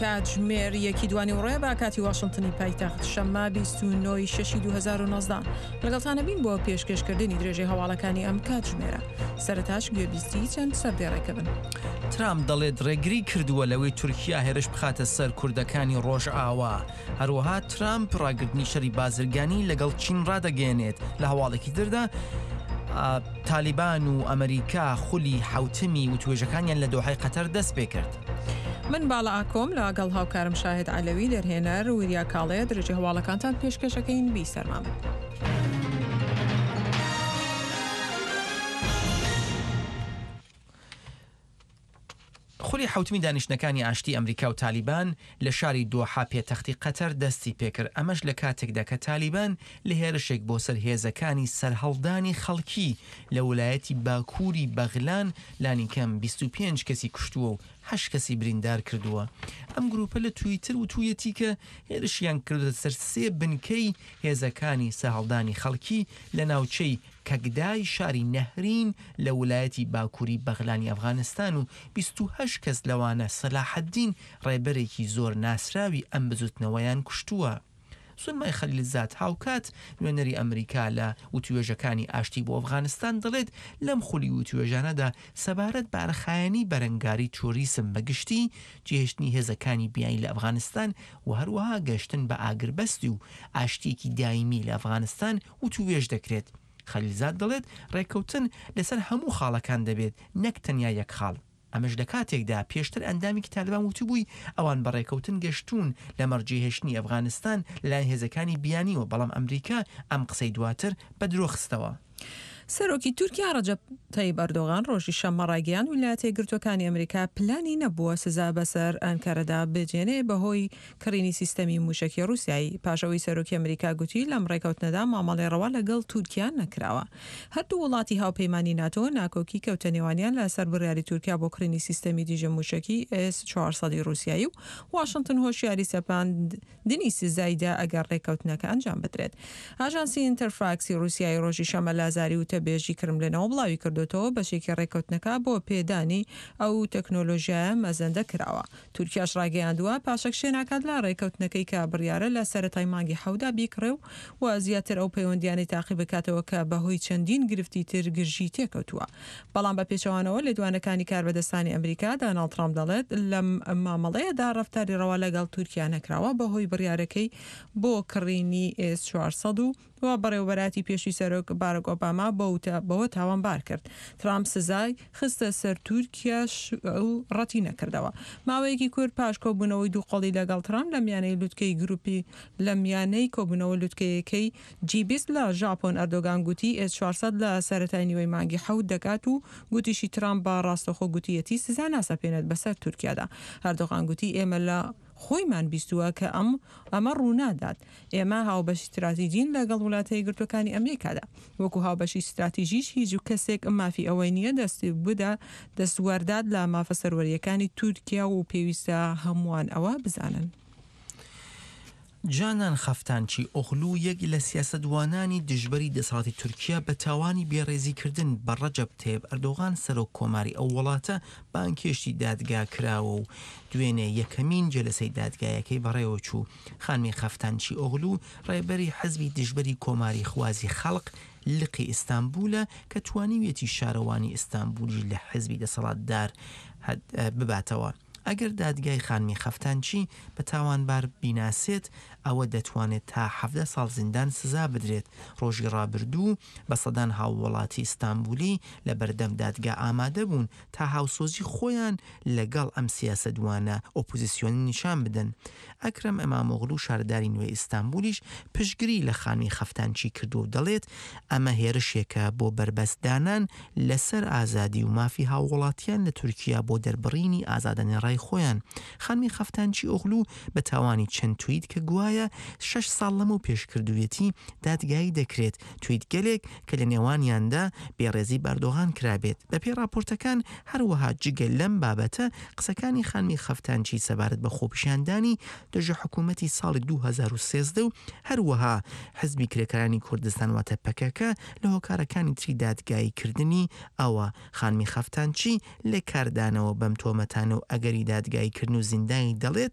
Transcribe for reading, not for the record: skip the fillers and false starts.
کاتژمێر یەکی دوانیوەڕۆیە بە کاتی واشنتنی پایتەخت، شەممە 29 ی شەشی 2019. لەگەڵتانە بین بۆ پێشکێشکردنی درێژەی هەواڵەکانی ئەم کاتژمێرە. سەرەتاش گوێبیستی چەند سەردێڕێکە بن. ترامپ دەڵێت ڕێگری کردووە لەوەی تورکیا هێرش بخاتە سەر کوردەکانی ڕۆژئاوا. هەروەها ترامپ ڕاگرتنی شەری بازرگانی لەگەڵ چین ڕادەگەیەنێت. لە هەواڵێکی تردا تالیبان و ئەمریکا خولی حەوتەمی وتوێژەکانیان لە دۆحەی قەتەر دەستپێکرد. من باڵا ئاکۆم لەگەڵ هاوکارم شاهد عەلەوی دەرهێنەر وریا کاڵێ درێژەی هەواڵەکانتان پێشکەش ئەکەین بیسەرمان بن. خولی حەوتمی دانیشتنەکانی ئاشتی ئەمریکا و تالیبان لە شاری دۆحە پێتەختی قەتەر دەستی پێکرد، ئەمەش لە کاتێکدا کە تالیبان لە هێرشێک بۆ سەر هێزەکانی سەرهەڵدانی خەڵکی لە ولایەتی باکووری بەغلان لانیکەم 25 کەسی کوشتووە و هەشت کەسی بریندار کردووە. ئەم گرووپە لە تویتر وتوویەتی کە هێرشیان کردووەتە سەر سێ بنکەی هێزەکانی سەهەڵدانی خەڵکی لە ناوچەی کەگدای شاری نەهرین لە ولایەتی باکووری بەغلانی ئەفغانستان و 28 کەس لەوانە سەلاحەدین ڕێبەرێکی زۆر ناسراوی ئەم بزوتنەوەیان کوشتووە. زولمای خەلیلزاد هاوکات نوێنەری ئەمریکا لە وتوێژەکانی ئاشتی بۆ ئەفغانستان دەڵێت لەم خولی وتوێژانەدا سەبارەت بە ئەرخایەنی بەرەنگاری ترۆریسم بە گشتی، جێهێشتنی هێزەکانی بیانی لە ئەفغانستان و هەروەها گەشتن بە ئاگربەستی و ئاشتییەکی دایمی لە ئەفغانستان وتووێژ دەکرێت. خەلیلزاد دەڵێت ڕێککەوتن لەسەر هەموو خاڵەکان دەبێت نەک تەنیا یەک خاڵ. ئەمەش لە کاتێکدا پێشتر ئەندامێکی تالبان وتبووی ئەوان بە ڕێکەوتن گەشتوون لەمەڕ جێهێشتنی ئەفغانستان لەلایەن هێزەکانی بیانیوە، بەڵام ئەمریکا ئەم قسەی دواتر بە درۆ خستەوە. سەرۆکی تورکیا ڕەجەب تەیب ئەردۆغان ڕۆژی شەممە ڕایگەیاند ویلایەتە یەکگرتووەکانی ئەمریکا پلانی نەبووە سزا بەسەر ئەنکەرەدا بجێنێ بەهۆی کڕینی سیستەمی مووشەکی ڕووسیایی پاش ئەوەی سەرۆکی ئەمریکا گوتی لەم ڕێکەوتنەدا مامەڵەی ڕەوا لەگەڵ تورکیا نەکراوە. هەردوو وڵاتی هاوپەیمانی ناتۆ ناکۆکی کەوتە نێوانیان لە سەر بڕیاری تورکیا بۆ کڕینی سیستەمی دژە مووشەکی ئێس 400 ی ڕووسیایی و واشنتن هۆشیاری سەپاندنی سزای دا ئەگەر ڕێککەوتنەکە ئەنجام بدرێت. ئاژانسی ئینتەرفاکسی ڕووسیایی ڕۆژی شەممە لە زاری وتەبێژی کرملنەوە بڵاویکردۆتەوە بەشێکی ڕێککەوتنەکە بۆ پێدانی ئەو تەکنۆلۆژیایە مەزەندە کراوە. تورکیاش ڕایگەیاندووە، پاشەکشێ ناکات لە ڕێککەوتنەکەی کە بڕیارە لە سەرەتای مانگی حەوتدا بیکڕێ و و زیاتر ئەو پەیوەندیانەی تاقی بکاتەوە کە بەهۆی چەندین گرفتی تر گرژی تێکەوتووە. بەڵام بە پێچەوانەوە لێدوانەکانی کاربەدەستانی ئەمریکا، داناڵد ترامپ دەڵێت، لەم مامەڵەیەدا ڕەفتاری ڕەوا لەگەڵ تورکیا نەکراوە بەهۆی بڕیارەکەی بۆ کڕینی ئێس 400 و و بەڕێوەبەرایەتی پێشووی سەرۆک باراک ئۆباما بەوە تاوانبار کرد. ترامپ سزای خستە سەر تورکیاش و ڕەتی نەکردەوە. ماوەیەکی کورت پاش کۆبوونەوەی دووقۆڵی لەگەڵ ترامپ لە میانەی لوتکەی گروپی لە میانەی کۆبوونەوە لوتکەیەکەی جی 20 لە ژاپۆن ئەردۆگان گوتی ئێس 400 لە سەرەتای نیوەی مانگی حەوت دەگات و گوتیشی ترامپ بە ڕاستەوخۆ گوتیەتی سزا ناسەپێنێت بەسەر تورکیادا. ئەردۆغان گوتی ئێمە لە خۆیمان بیستووە کە ئەم ئەمە ڕوونادات. ئێمە هاوبەشی ستراتیجین لەگەڵ وڵاتە یەکگرتووەکانی ئەمریکادا. وەکو هاوبەشی ستراتیژیش هیچ کەسێک مافی ئەوەی نییە دەست بدا دەستوەردات لە مافە سەروەرییەکانی تورکیا و پێویستە هەمووان ئەوە بزانن. جانان خەفتانچی ئۆغلو یەک لە سیاسەتوانانی دژبەری دەسەڵاتی تورکیا بە تاوانی بێڕێزیکردن بە ڕەجەب تەیب ئەردۆغان سەرۆک کۆماری ئەو وڵاتە بانگهێشتی دادگا کراوە و دوێنێ یەکەمین جەلەسەی دادگایەکەی بەڕێوەچوو. خانمی خەفتانچی ئۆغلو ڕێبەری حزبی دژبەری کۆماریخوازی خەڵق لقی ئیستانبولە کە توانیویەتی شارەوانی ئیستانبولیش لە حزبی دەسەڵاتدار بباتەوە. ئەگەر دادگای خانمی خەفتانچی بە تاوانبار بیناسێت، ئەوە دەتوانێت تا 17 ساڵ زیندان سزا بدرێت. ڕۆژی ڕابردوو بە سەدان هاووڵاتی ئیستانبولی لە بەردەم دادگا ئامادە بوون تا هاوسۆزی خۆیان لەگەڵ ئەم سیاسەتوانە ئۆپۆزیسیۆنە نیشان بدەن. ئەکرەم ئیمامۆغلو شارداری نوێی ئیستانبولیش پشتگری لە خانمی خەفتانچی کردووە و دەڵێت، ئەمە هێرشێکە بۆ بەربەست دانان لەسەر ئازادی و مافی هاووڵاتیان لە تورکیا بۆ دەربڕینی ئازادانە ڕای خۆیان. خانمی خەفتانچی ئۆغلو بە تاوانی چەند تویت کە گوایە شەش ساڵ لەمەو پێش کردوویەتی دادگایی دەکرێت، تویتگەلێک کە لە نێوانیاندا بێڕێزی بە ئەردۆغان کرابێت. بەپێی ڕاپۆرتەکان، هەروەها جگە لەم بابەتە، قسەکانی خانمی خەفتانچی سەبارەت بە خۆپیشاندانی دژە حکوومەتی ساڵی 2013 و هەروەها حزبی کرێکارانی کوردستان واتە پەکەکە لە هۆکارەکانی تری دادگایی کردنی ئەوە. خانمی خەفتانچی لە کاردانەوە بەم تۆمەتانە و ئەگەری دادگایی کردن و زیندانی دەڵێت،